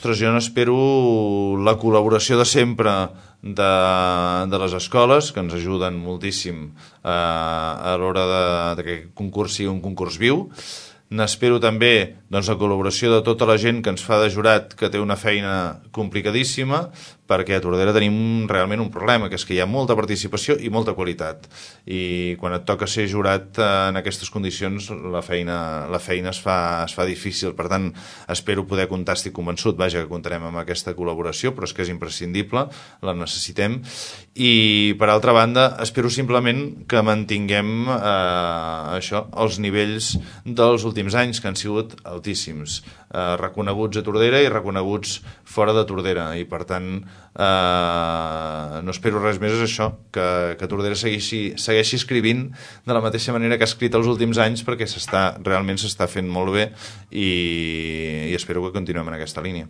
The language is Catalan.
Ostres, jo n'espero la col·laboració de sempre de les escoles, que ens ajuden moltíssim a l'hora de que el concurs sigui un concurs viu. N'espero també la col·laboració de tota la gent que ens fa de jurat, que té una feina complicadíssima, perquè a Tordera tenim realment un problema, que és que hi ha molta participació i molta qualitat. I quan et toca ser jurat en aquestes condicions, la feina es fa difícil. Per tant, espero poder comptar, estic convençut, vaja, que comptarem amb aquesta col·laboració, però és que és imprescindible, la necessitem. I, per altra banda, espero simplement que mantinguem els nivells dels últims anys, que han sigut altíssims, reconeguts a Tordera i reconeguts fora de Tordera, i per tant no espero res més, és això, que Tordera segueixi escrivint de la mateixa manera que ha escrit els últims anys, perquè realment s'està fent molt bé, i espero que continuem en aquesta línia.